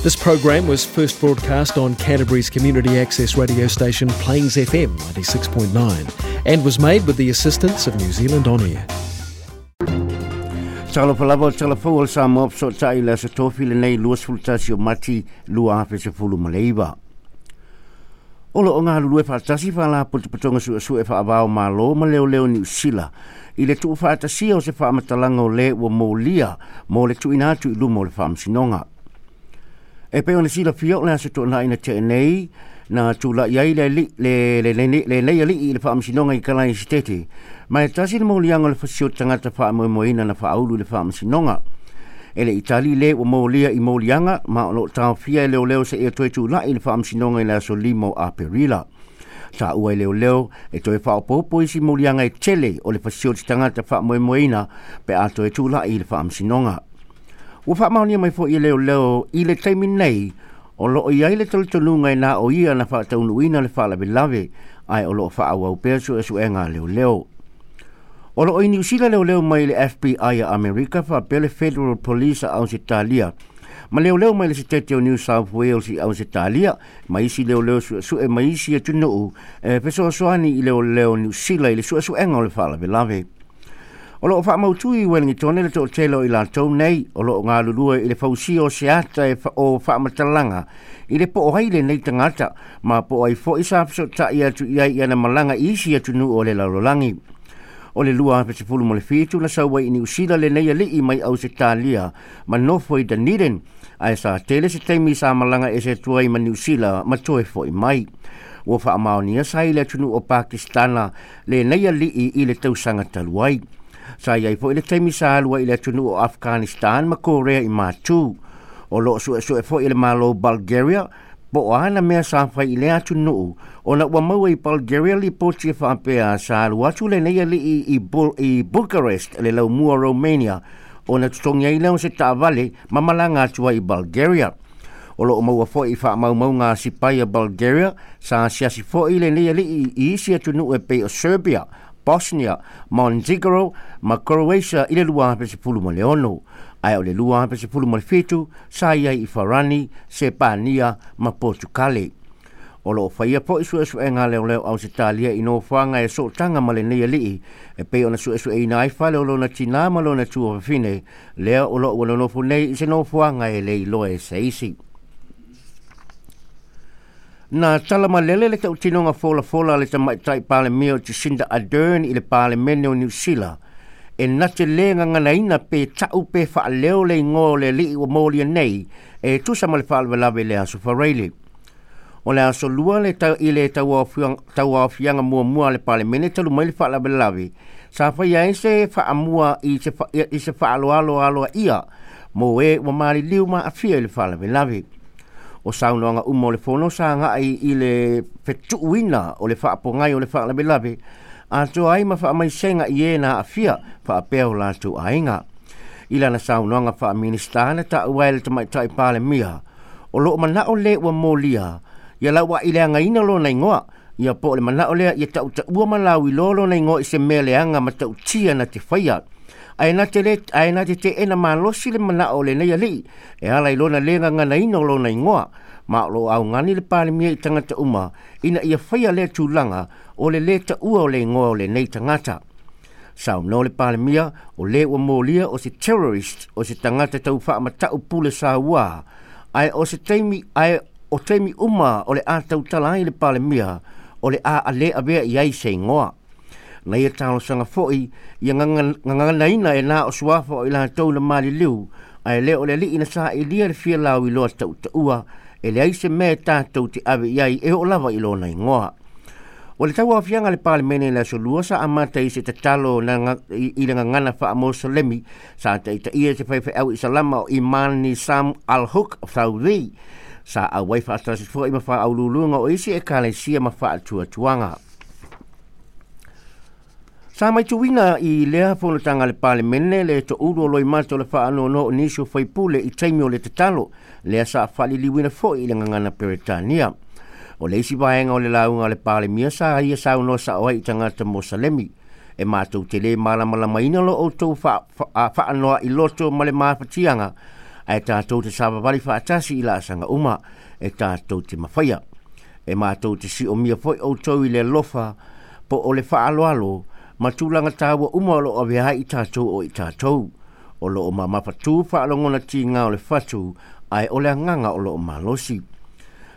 This program was first broadcast on Canterbury's community access radio station Plains FM 96.9 and was made with the assistance of New Zealand On Air. Talofa lava o tala fou o le Samoa fesootai i le Aso Tofi lenei 21 o Mati 2019. O lo o galulue faatasi Faalapotopotoga Suesue Faavao Malo ma Leoleo Niu Sila i le tuufaatasia o se faamatalaga o lē ua molia mo le tuuina atu i luma o le Faamasinoga. E pei ona silafia o le aso toonai na tea nei na tula'i ai le le le lenei ali'i i le Faamasinoga i Kalaisitete, ma e tasi le moliaga o le fasio tagata faamoemoeina na faaulu i le Faamasinoga. E le i tali le ua molia i moliaga, ma o lo o taofia e leoleo seia toe tula'i i le Faamasinoga i le aso 5 o Aperila. Taua e leoleo e toe faaopoopo isi moliaga e tele o le fasioti tagata faamoemoeina pe a toe tula'i i le Faamasinoga. Ua faamaonia mai foi e leoleo i le taimi nei o lo o i ai le talitonuga e na o ia na faataunuuina le faalavelave, ae o lo o faaauau pea suesuega a leoleo. O lo o i Niu Sila leoleo mai le FBI a Amerika faapea le Federal Police a Ausetalia, ma leoleo mai le Setete o New South Wales i Ausetalia, ma isi leoleo suesue mai isi atunuu e fesoasoani i leoleo Niu Sila i le suesuega o le faalavelave. O lo o faamautu i Wellington le toatele o i latou nei o lo o galulue i le fausia o se ata e o faamatalaga i le po o ai lenei tagata ma po o ai foi sa fesootai atu i ai i ana malaga i isi atunuu o le lalolagi. O le 2017 na sau ai i Niu Sila lenei alii mai Ausetalia ma nofo i Dunedin, ae sa tele se taimi sa malaga ese atu ai ma Niu Sila ma toe foi mai. Ua faamaonia sa i le atunuu o Pakistana lenei alii i le tausaga talu ai. Sa i ai foi le taimi sa alu ai i le atunuu o Afghanistan ma Korea i Matu. O lo o suesue foi e le Malo o Bulgaria po o a na mea sa fai i lea atunuu, ona ua maua i Bulgaria lipoti e faapea sa alu atu lenei alii i, Bul i Bucharest le laumua Romania ona totogi ai lea o se taavale ma malaga atu ai i Bulgaria. O lo o maua foi i faamaumauga a sipai a Bulgaria sa asiasi foi lenei alii i isi atunuu e pei o Serbia, Bosnia, Montenegro ma Croatia i le 2016, ae o le 2017 sa i ai i Farani, Sepania ma Portukale. O lo o faia foi suesuega a leoleo Ausetalia i nofoaga e sootaga ma lenei alii e pei ona suesueina ai fale o lona tinā ma lona tuafafine, lea o lo o ua nonofo nei i se nofoaga e le iloa e se isi. Na tala malele le tautinoga folafola a le tamaitai Palemia o Jacinda Ardern i le Palemene o Niu Sila e na te lē gaganaina pe ta'u pe faaleo le igoa o le alii ua molia nei e tusa ma le faalavelave i le Aso Faraile. O le aso lua le tau, i le tauaofiaga muamua a le Palemene talu mai le faalavelave sa faia ai se faamua i se, i se faaaloalo aloaia mo e ua maliliu ma aafia i le faalavelave. O saunoaga uma o le fono sa agai i le fetuuina o le faapogai o le faalavelave atoa ai ma faamaisega i e na aafia faapea o latou aiga. I lana saunoaga faa-Minisita na taua ai le tamaitai Palemia, o lo o manao le ua molia ia lauaileagaina lona igoa, ia po o le manao lea ia tautaua ma lauiloa lona igoa i se mea leaga ma tautia na te faia. Ae na te le, ae na te teena malosi le manao o lenei alii e ala i lona le gaganaina o lona igoa, ma o lo o augani le Palemia i tagata uma ina ia faia lea tulaga o le lē taua o le igoa o lenei tagata. Saunoa le Palemia o le ua molia o se terrorist, o se tagata tau faamata'u pule sauā, ae o se taimi, ae o taimi uma o le a tautala ai le Palemia o le a ale avea i ai se igoa. Na ia talosaga foi ia gaganaina e na o suafa o i latou na maliliu, ae le o le alii na sailia le fia lauiloa tautaua e leai se mea e tatou te ave i ai e oo lava i lona igoa. O le tauaofiaga a le Palemene i le Aso Lua sa amata i se tatalo na i le gagana faa-Moselemi sa taitaia e se faifeau Isalama o Iman Nizam Al-Huq Saudi sa auai faatasi foi ma faauluuluga o isi ekalesia ma faatuatuaga. Sa maituina i lea fonotaga a le Palemene le toulu o Loimata o le faanoanoa o nisi o faipule i taimi o le tatalo, lea sa faaliliuina foi i le gagana Peretania. O le isi vaega o le lauga a le Palemia sa ia saunoa sao ai i tagata Mosalemi. E matou te lē malamalamaina lo outou faanoa i loto ma le mafatiaga, Ae tātou te savavali faatasi i laasaga uma e tātou te mafaia. E mātou te siomia foi outou i le alofa po o le faaaloalo ma tulaga tāua uma o loo avea ai i tātou o i tātou. O loo mamafatū faalogona tigā o le fatu ae o le agaga o loo malosi.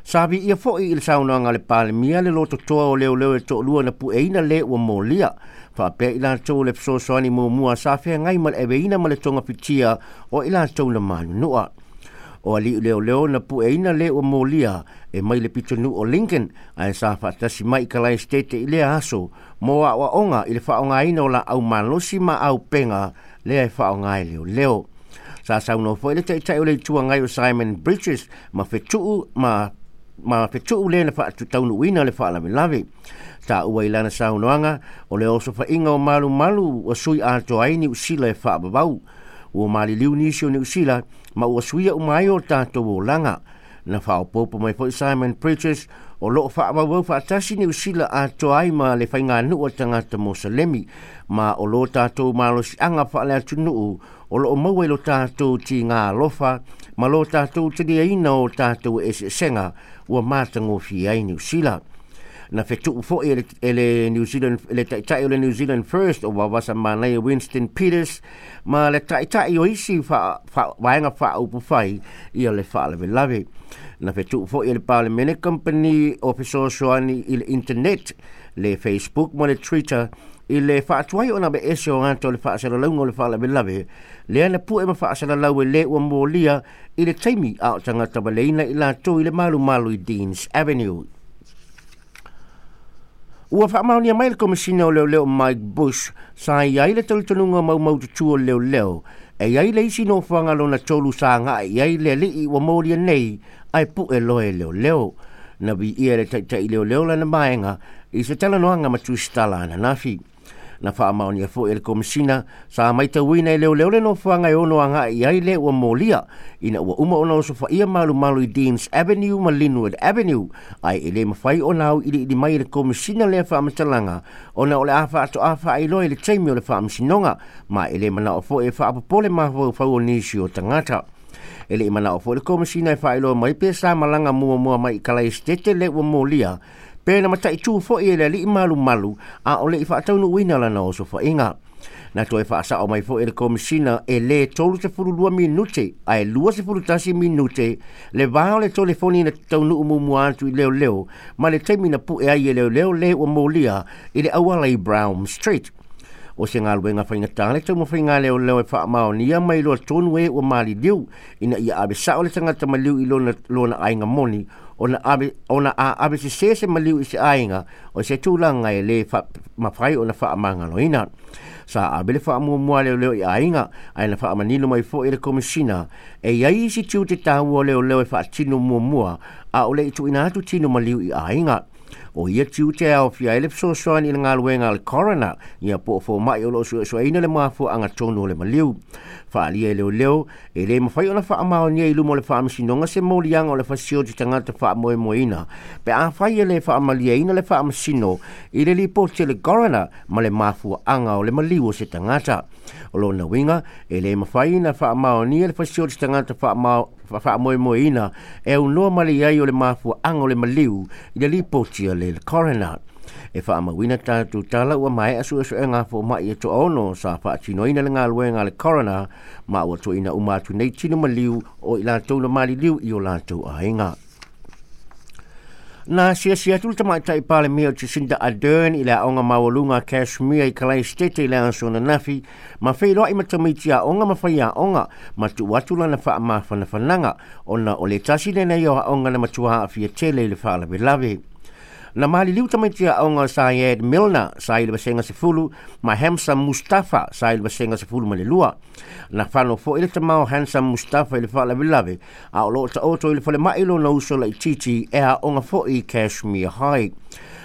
Sa viia foi i le saunoaga a le Palemia le lototoa o leoleo e toalua na pueina lē ua molia faapea i latou o le fesoasoani muamua sa feagai ma le aveina ma le togafitia o i latou na manunua. O alii leoleo na pueina lē ua molia e mai le pitonuu o Lincoln ae sa faatasi mai i Kalaesetete i lea aso mo aoaoga i le faaaogaina o laau malosi ma aupega lea e faaaoga e leoleo. Sa saunoa foi le taitai o le Itu Agai o Simon Bridges ma fetuu ma fetuu lē na faataunuuina le faalavelave. Taua i lana saunoaga o le osofaiga o malumalu ua sui atoa ai Niu Sila e faavavau. Ua maliliu nisi o Niu Sila ma ua suia uma ai o tatou olaga. Na faaopoopo mai foi Simon Bridges o loo faavauvau faatasi Niu Sila atoa ai ma le faiganuu a tagata Mosalemi ma o lo tatou malosiaga faaleatunuu o loo maua i lo tatou tigā alofa ma lo tatou taliaina o tatou eseesega ua matagofie ai Niu Sila. Na fetuu foi e le New Zealand le taitai o le New Zealand First o Vavasa Manaia Winston Peters ma le taitai o isi vaega faaupufai ia le faalavelave. Na fetuu foi e le Palemene Company o fesoasoani i le internet, le Facebook ma le Twitter i le faatuai ona aveese o ata o le faasalalauga o le faalavelave lea na pue ma faasalalau e lē ua molia i le taimi a o tagata valeina i latou i le malumalu i Deans Avenue. Ua faamaonia mai le Komisina o Leoleo Mike Bush sa i ai le talitonuga maumaututu o leoleo e i ai le isi nofoaga lona tolu sa agai i ai le alii ua molia nei ae pue loa e leoleo. Na viia le taitai leoleo lana vaega i se talanoaga ma Tusitala ananafi. Na faamaonia foi e le Komisina sa maitauina e leoleo le nofoaga e ono agai i ai le ua molia ina ua uma ona osofaia malumalu i Deans Avenue ma Linwood Avenue ae e lē mafai ona auiliili mai e le Komisina lea faamatalaga ona o le a faatoa faailoa i le taimi o le faamasinoga ma e lē manao foi e faapopole mafaufau o nisi o tagata. E lei manao foi le Komisina e faailoa mai pe sa malaga muamua mai i Kalaesetete le ua molia pe na mataitū foi e le alii malumalu a o lei faataunuuina lana osofaiga. Na toe faasao mai foi e le Komisina e lē 32 minute ae 21 minute le vā o le telefoni na taunuu muamua atu i leoleo ma le taimi na pue ai e leoleo lē ua molia i le auala i Brown Street. O se galuega faigata le taumafaiga leoleo e faamaonia mai loa tonu e ua maliliu ina ia ave sao le tagata maliu i lona aiga moni ona ave ona a ave sesē se maliu i se aiga o se tulaga e lē mafai ona faamagaloina. Sa ave le faamuamua leoleo i aiga ae na faamanino mai foi e le Komisina e iai isi tiute taua o leoleo e faatino muamua a o le i tuuina atu tino maliu i aiga. O ia tiute e aofia ai le fesoasoani i le galuega a le coroner ia po o fomai o loo suesueina le mafuaaga tonu o le maliu. Faaalia e leoleo e lē mafai ona faamaonia i luma o le faamasinoga se moliaga o le fasioti tagata faamoemoeina pe afai e lē faamaliaina le faamasino i le lipoti a le coroner ma le mafuaaga o le maliu o se tagata. O lona uiga e lē mafai na faamaonia le fasioti tagata faamoemoeina e aunoa ma le iai o le mafuaaga o le maliu i le lipoti a le coroner. E faamauina tatou tala ua maea suesuega fomai e toaono sa faatinoina le galuega a le coroner ma ua tuuina uma atu nei tino maliu o i latou na maliliu i o latou aiga. Na siasi atu le tamaitai Palemia o Jacinda Ardern i le aoga maualuga Cashmere i Kalaesetete i le aso ananafi ma feiloai ma tamaiti aoga ma faiaoga ma tuu atu lana faamafanafanaga ona o le tasi lenei o aoga na matua aafia tele i le faalavelave. Na maliliu tamaiti aoga Syed Milner sa i le vasega 10 ma Hamza Mustafa sa i le vasega 12. Na fano foi le tama o Hamza Mustafa i le faalavelave a o loo taoto i le falemai lona uso laitiiti e aoga foi i Cashmere High.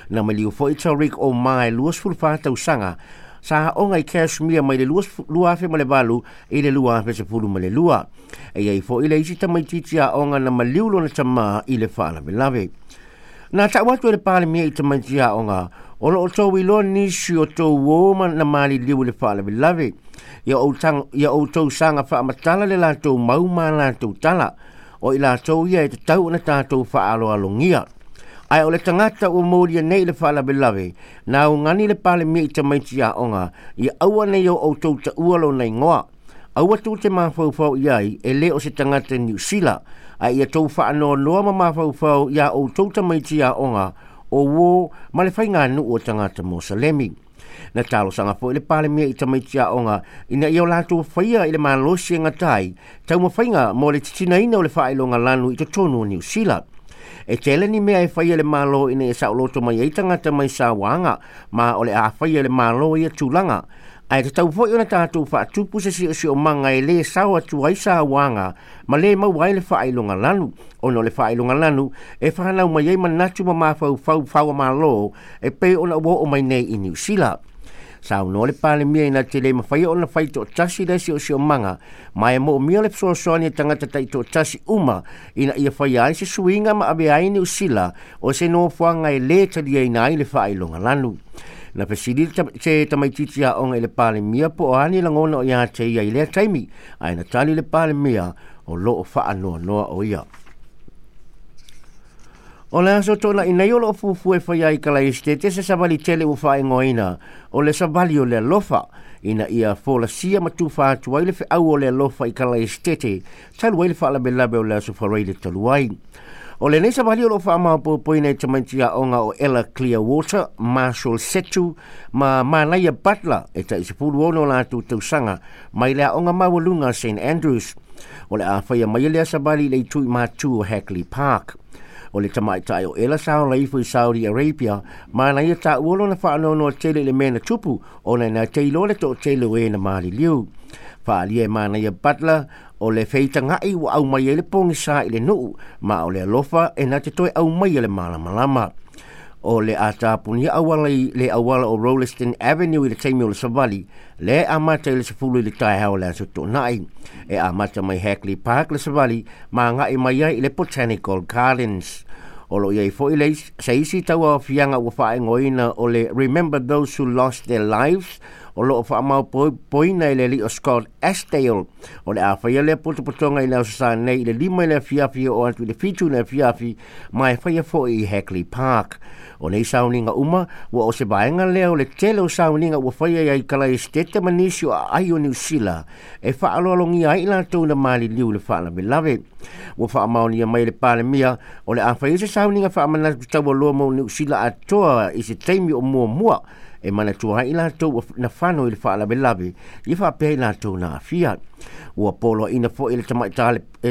Na maliu foi Tariq Omar 24 tausaga sa aoga i Cashmere mai le 2008 i le 2012. E iai foi le isi tamaitiiti aoga na maliu lona tamā i le faalavelave. Na tau atu e le Palemia i tamaiti aoga o loo tou iloa nisi o tou uō ma na maliliu i le faalavelave. Ia outou saga faamatala le latou mau ma latou tala, o i latou ia e tatau ona tatou faaaloalogia. Ae o le tagata ua molia nei le faalavelave, na augani le Palemia i tamaiti aoga, ia aua nei o outou taua lona igoa. Aua tou te mafaufau i ai e lē o se tagata Niu Sila, ae ia tou faanoanoa ma mafaufau iā outou tamaiti aoga o uō ma le faiganuu o tagata Mosalemi. Na talosaga foi le Palemia i tamaiti aoga ina ia o latou faia i le malosi e gata ai taumafaiga mo le titinaina o le faailoga lanu i totonu o Niu Sila. E tele ni mea e faia le Malo ina ia saoloto mai ai tagata mai sauaga, ma o le a faia le Malo ia tulaga. Ae tatau foi ona tatou faatupu se siosiomaga e lē sao atu ai sauaga ma lē maua ai le faailoga lanu, ona o le faailoga lanu e fanau mai ai manatu ma mafaufau fauamalo e pei ona ua oo mai nei i Niu Sila. Saunoa le Palemia ina te le mafaia ona fai toatasi le siosiomaga, ma e moomia le fesoasoani a tagata taitoatasi uma ina ia faia ai se suiga ma avea ai Niu Sila o se nofoaga e lē taliaina ai le faailoga lanu. Na fesili se tamaitiiti aoga i le Palemia po o a ni lagona o ia te ia i lea taimi, ae na tali le Palemia o loo faanoanoa o ia. O le aso tona'i nei o loo fuafua e faia ai i Kalaesetete se savali tele ua faaigoaina o le savali o le alofa, ina ia folasia ma tufa atu ai le feau o le alofa i Kalaesetete talu ai le faalavelave o le aso Faraile talu ai. O lenei savali o loo faamaopoopoina e tamaiti aoga o Ella Clearwater, Marshall Setu ma Manaia Butler e tai 16 latou tausaga mai le aoga maualuga St Andrews. O le a faia mai lea savali i le itu i matu o Hagley Park. O le tamaitai o Ella sa ola ifo i Saudi Arabia, ma na ia taua lona faanoanoa tele i le mea na tupu, ona na te iloa le toatele o e na maliliu. Faaalia e Manaia Butler o le feitaga'i ua aumai ai le pogisa i le nuu, ma o le alofa e na te toe aumaia le malamalama. O le a tapunia auala i le auala o Rolleston Avenue i le taimi o le savali, le amata i le 10 i le taeao o le aso Toonai. E amata mai Hagley Park le savali ma aga'i mai ai i le Botanical Gardens. O loo i ai foi le se isi tauaofiaga ua faaigoaina o le Remember Those Who Lost Their Lives, o loo faamaopoina e le alii o Scott Astale. O le a faia lea potopotoga i le aso Sa nei i le 5 i le afiafi oo atu i le 7 i le afiafi, ma e faia foi i Hagley Park. O nei sauniga uma ua o se vaega lea o le tele o sauniga ua faia ai Kalaesetete ma nisi o aai o Niu Sila e faaaloalogia ai i latou na maliliu i le faalavelave. Ua faamaonia mai le Palemia o le a faia se sauniga faamanatu taualoa mo Niu Sila atoa i se taimi o muamua e manatua ai i latou na fano i le faalavelave ia faapea i latou na aafia. Ua poloaiina foi e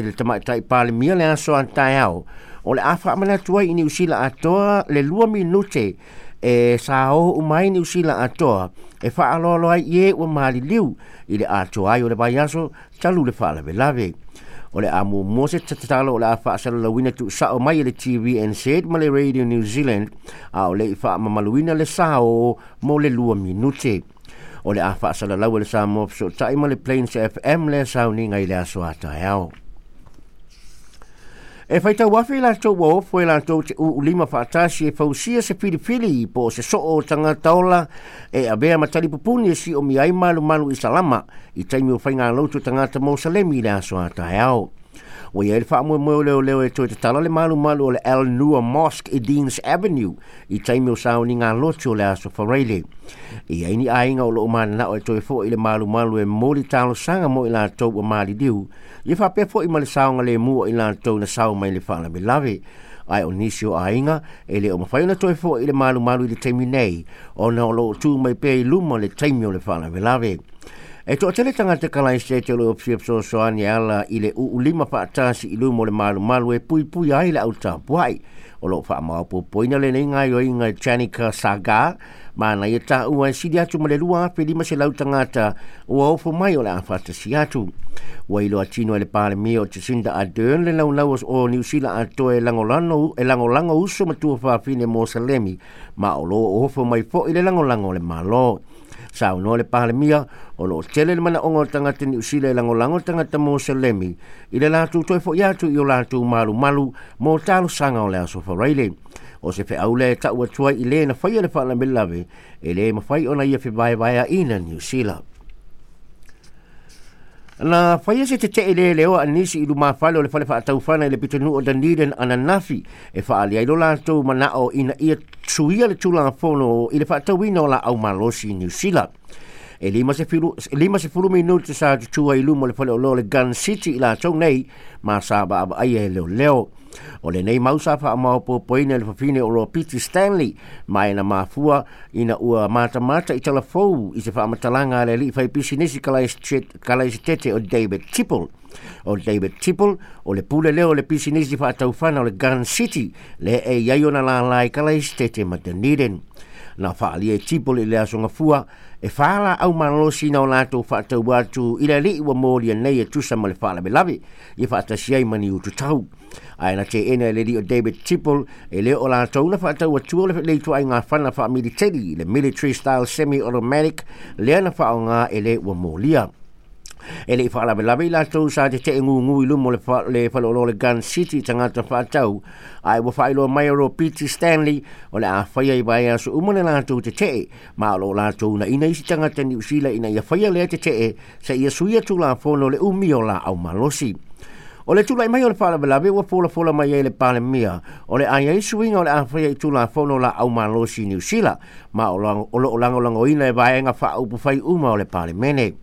le tamaitai Palemia le aso a taeao o le a faamanatu ai i Niu Sila atoa le 2 minute e sa o uma ai Niu Sila atoa e faaaloalo ai i e ua maliliu i le atoa ai o le vaiaso talu le faalavelave. O le a muamua se tatalo o le a faasalalauina tuusao mai e le TVNZ ma le Radio New Zealand, a o le i faamamaluina le sao mo le 2 minute. O le a faasalalau e le Samoa Fesootai ma le Plains FM lea sauniga i le aso a taeao. E faitau afe i latou ua ofo e latou te uulima faatasi e fausia se filifili po o se soo o tagata ola e avea ma talipupuni e siomia ai malumalu i salama i taimi o faigalotu tagata Mosalemi i le aso a taeao. Ua i ai le faamoemoe o leoleo e toe tatala le malumalu o le Al Noor Mosque i Deans Avenue i taimi o sauniga lotu o le aso Faraile. E i ai ni aiga o loo mananao e toe foi i le malumalu e moli talosaga mo i latou ua maliliu, ia faapea foi ma le saogalemu o i latou na sao mai le faalavelave. Ae o nisi o aiga e le o mafai ona toe foi i le malumalu i le taimi nei, ona o loo tu mai pea i luma le taimi o le faalavelave. E toatele tagata Kalaesetete o loo fia fesoasoani e ala i le uulima faatasi i luma o le malumalu e puipui ai le autapuai. O loo faamaopoopoina lenei gaoioiga e Janica Saga, ma na ia taua e sili atu ma le 2,500 tagata ua ofo mai o le a faatasi atu. Ua iloa tino e le Palemia o Jacinda Ardern le laulau o Niu Sila atoa e lagolago uso ma tuafafine Mosalemi, ma o loo ofo mai foi le lagolago o le Malo. Saunoa le Palemia o loo tele le manaoga o tagata Niu Sila e lagolago tagata Mosalemi i le latou toe foi atu i o latou malumalu mo talosaga o le aso Faraile. O se feau lea e tau atu ai i le na faia le faalavelave e le mafai ona ia fevaevaeaina Niu Sila. Na whaia se te te le leo a nisi i lumafale o le whale whaataufana i le pitanu o Dunedin ananafi e whaalia i lo lātou manao ina ia tuia le tūlanga fono i le whaatauina o la au malosi i New Zealand. E 50 minuti sa tutua i luma o le whale o lo le Gun City i lātou nei ma sa ba aba ai e leo leo. O le nei mausa wha amao popoina le whawhine o Ropiti Stanley mai na mafua ina ua mata mata i talafou i se whaamatalanga le li whai pisinisi kalaisi tete o David Tipple. O David Tipple o le pule leo le pisinisi whaataufana o le Gun City le e iai ona lalai kalaisi tete ma Dunedin. Na whaalia e Tipple i le aso gafua e whala au malosi na o lātou whaatau atu i le alii ua mōlia nei e tusa ma le whaalavelave i whaatasi ai mani ututau. Ae na te ena e le o David Tipple e le o lātou na whaatau atua le leitu ai ngā whana whaamiliteri le military style semi-automatic lea na whaonga e le ua mōlia. E le i whaalavelave i lātou sa te te ngungu i lumo le, le whalolo le Gun City tangata whaatau. Ai ua whailo mai o P.T. Stanley o le a whaia i vai aso umo le lātou te te ma o lo lātou na ina isi tangata Niu Sila ina ia whaia lea te te sa ia suia tu la fono le umi o la au malosi. O le tūlai mai o le whaalavelave ua fola fola mai ai le palemia o le ai ai suinga o le awhaia i tūla fono la au malosi Niu Sila ma o lo o lango ina e vaenga whaaupu whai uma o le palemene.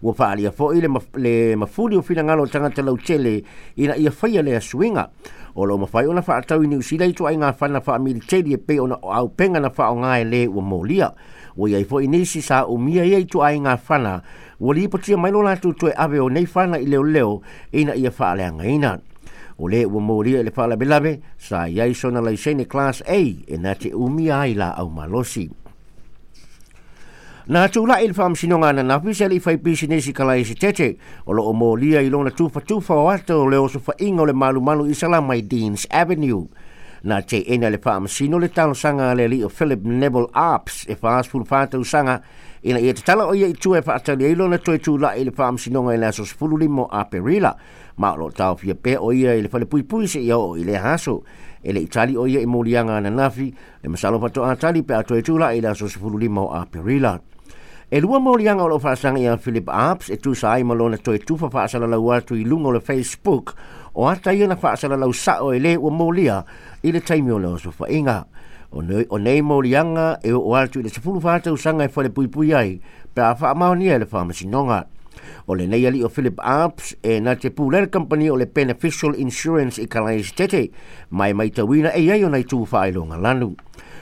Ua whaalia foi le, le mafuli o whinangalo tangata lautele ina ia whaia lea suinga. O lo mawhai ona whaatau i Niu Sila i tua ai ngā whana whaamiliteri e pe ona o au penga na whao ngā e le ua mōlia. Ua iai foi nisi sa umia ia i tua ai ngā whana. Ua lipotia mai lo lātou toe ave o nei whana i leo leo ina ia whaaleanga ina. O le ua mōlia i le whaalabelabe sa iai sona laisene Class A e nā te umia ai la au malosi. Na tūla i le whaamsinonga na nafi se li whai pisinesi kala i se tete o lo o mōlia i lona tufa tufa o ata o le oso whainga o le malu malu i salama i Deans Avenue. Na te ena le whaamsino le talosanga le li o Philip Neville Arps e whaasfulu whātau ina ia te tala o ia i tua e whaatali ai lona toe tūla i le whaamsinonga i le aso 15 Aperila. Ma o lo tau fia pe o ia i le whale pui pui se ia o i le haso. E le itali o ia i molianga na nafi le masalo whato atali pe atoe tūla i le aso 15 Aperila. E lua molianga o lo whaasanga ia Philip Arps e tusa ai malona toe tufa whaasala lau atu i lunga o le Facebook o ata ia na whaasala lau sao e le ua molia i le taimi o le oso whainga. O nei, o nei molianga e o atu i le sefulu whātau sanga e whale pui pui ai pe a whaamaonia e le whaamasinonga. O le nei ali o Philip Arps e na te pūlere company o le Beneficial Insurance i Kalaisi Tete mai mai tawina e ai o nei tū whailonga lanu.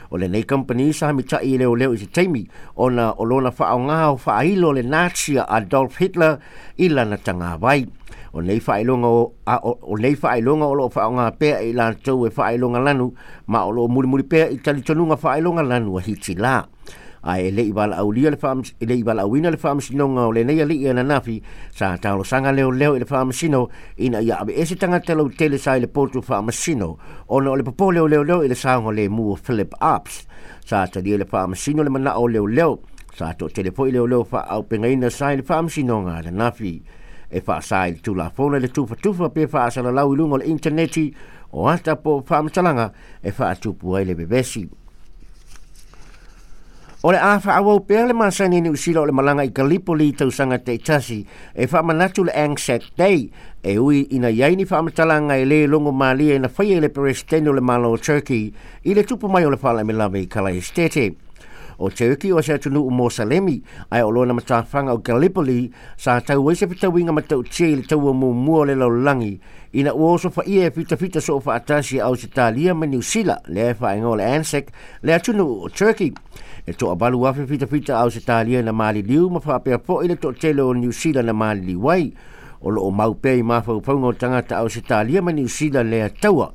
O le nei company sa mitai i leo leo i te taimi ona o lona whaonga o whailo le Nazi Adolf Hitler i lana tanga vai. O nei whailonga o, a, o, o nei whailonga o lo whaonga pea i lātou e whailonga lanu ma o lo muri muri pea i talitonunga whailonga lanu a hiti la. Ai e le i wala aulia le whaam, e le i wala auina le whaamsinonga o le nei ali i ananafi sa talo sanga leo leo i le whaamasino ina ia abe ese tangata lau tele sa i le potu whaamasino ona o le popo leo leo leo i le saonga le mua Philip Arps. Sa talia le whaamasino le mana o leo leo sa to tele foi leo leo wha au pengaina sa i le whaamasinoga ananafi. E whaasa i le tūlafono le tufa tufa pe whaasala lau i lunga o le interneti o ata po whaamatalanga e whaatupu ai le bebesi. O le a whaawau pea le masani ni usila o le malanga i Gallipoli tausaga te itasi e whaamanatu le Anzac Day e ui ina iai ni whaamatalanga e le longo malia ina whaia i le Presidente o le Malo o Turkey i le tupu mai o le whaalamelame i Kalaestete. O Turkey o se atunuu Mosalemi ai o lona matawhanga o Gallipoli sa tau ai se fetauiga matautia i le taua muamua o le lalolagi ina ua oso faia e fitafita soo faatasi a Ausetalia ma Niu Sila lea e faaigoa o le Anzac le atunuu o Turkey. E 8,000 fitafita a Ausetalia na maliliu ma faapea fo'i le toatele o Niu Sila na maliliu ai. O loo mau pea i mafaufauga o tagata Ausetalia ma Niu Sila lea taua.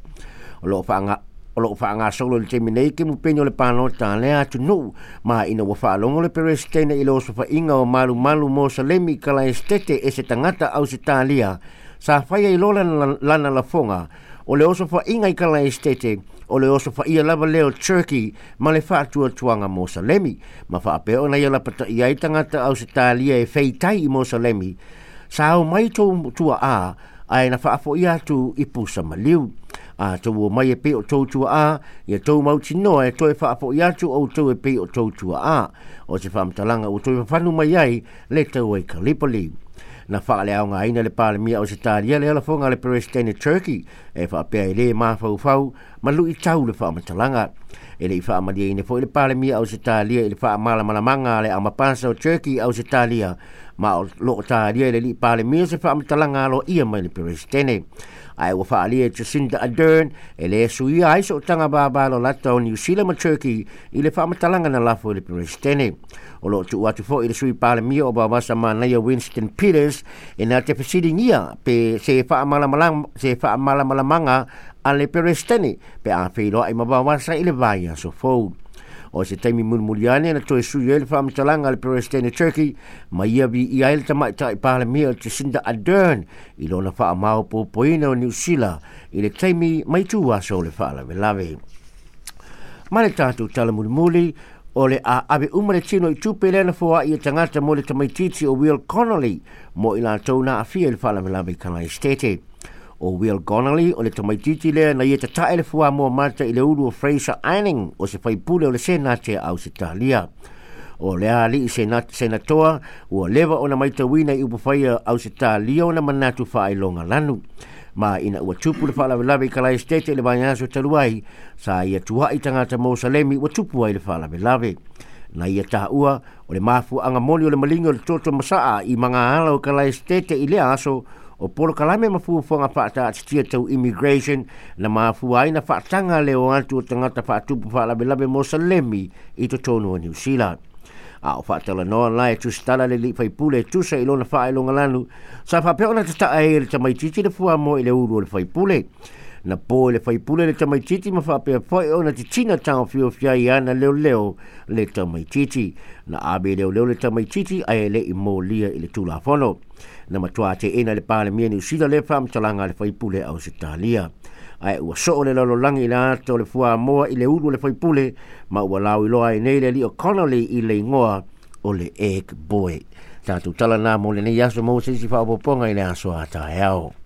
O loo whaanga o loo whaangasolo le taimi nei ke mupeni o le pālota lea atunuu ma ina ua faalogo le peresetene i le osofaiga o malumalu Mosalemi i Kalaestete e se tagata Ausetalia sa faia i lo lana, lana lafoga o le osofaiga i Kalaestete o le osofaia lava lea o Turkey ma le faatuatuaga Mosalemi ma faapea ona ia lapataʻi ai tagata Ausetalia e feitai i Mosalemi sa ao mai tou tuaʻā ae na faafoʻi atu i pusa maliu. A tou o mai e pei o tou tuaʻā ia tou mautinoa e toe faafoʻi atu outou e pei o tou tuaʻā. O se faamatalaga ua toe fafanu mai ai le taua i Gallipoli. Na faaleaogaina le Palemia o Ausetalia le lafoga a le Peresetene Turkey e faapea e lē mafaufau ma luʻitau le faamatalaga. E leʻi faamalieina foi le Palemia o Ausetalia i le faamalamalamaga a le Amapasa o Turkey Ausetalia, ma o loo talia e le alii Palemia se faamatalaga aloaia mai le Peresetene. Ae ua faaalia e Jacinda Ardern e lē suia ai sootaga vavalolata o Niu Sila ma Turkey i le faamatalaga na lafo i le Peresetene. O loo tuu atu foi i le sui Palemia o Vaovasa Manaia Winston Peters e na te fesiligia pe se faamalamalamaga a le Peresetene pe a feiloai ma Vaovasa i le vaiaso fou. O se taimi mulimuli ane na toe sui ai le faamatalaga a le Peresetene Turkey ma ia viia ai le tamaitai Palemia o Jacinda Ardern i lona faamaopoopoina o Niu Sila i le taimi mai tu aso o le faalavelave. Ma le tatou tala mulimuli, o le a ave uma le tino i tupe lea na foai e tagata mo le tamaititi o Will Connolly mo i latou na aafia i le faalavelave i Kalaesetete. O Will Connolly o le tamaititi lea na ia tatae le fuamoa mata i le ulu o Fraser Anning o se faipule o le Senate a Ausetalia. O lea alii senatoa ua leva ona maitauina i upufaia Ausetalia ona manatu faailoga lanu. Ma ina ua tupu le faalavelave i Kalaesetete i le vaiaso talu ai, sa ia tuai tagata Mosalemi ua tupu ai le faalavelave. Na ia taua o le mafuaaga moni o le maliga o le toto masaa i magaala o Kalaesetete i lea aso o polokalame ma fuafuaga faataatitia tau immigration na mafua ai na faataga le o atu o tagata faatupu faalavelave Mosalemi i totonu o Niu Sila. A o faatalanoa la e tusitala le alii faipule e tusa i lona faailogalanu sa faapea ona tataa ai e le tamaititi le fuamoa i le ulu o le faipule. Na po i le faipule le tamaititi ma faapea foi ona titina taofiofia ai ana leoleo le tamaititi. Na ave leoleo le tamaititi ae leʻi molia i le tulafono. Na matuā teena le Palemia Niu Sila le faamatalaga a le faipule Ausetalia. Ae ua soo le lalolagi i le ata o le fuamoa i le ulu o le faipule ma ua lauiloa ai nei le alii o Connolly i le igoa o le Egg Boy. Tatou tala na mo lenei aso mo se isi faaopoopoga i le aso a taeao.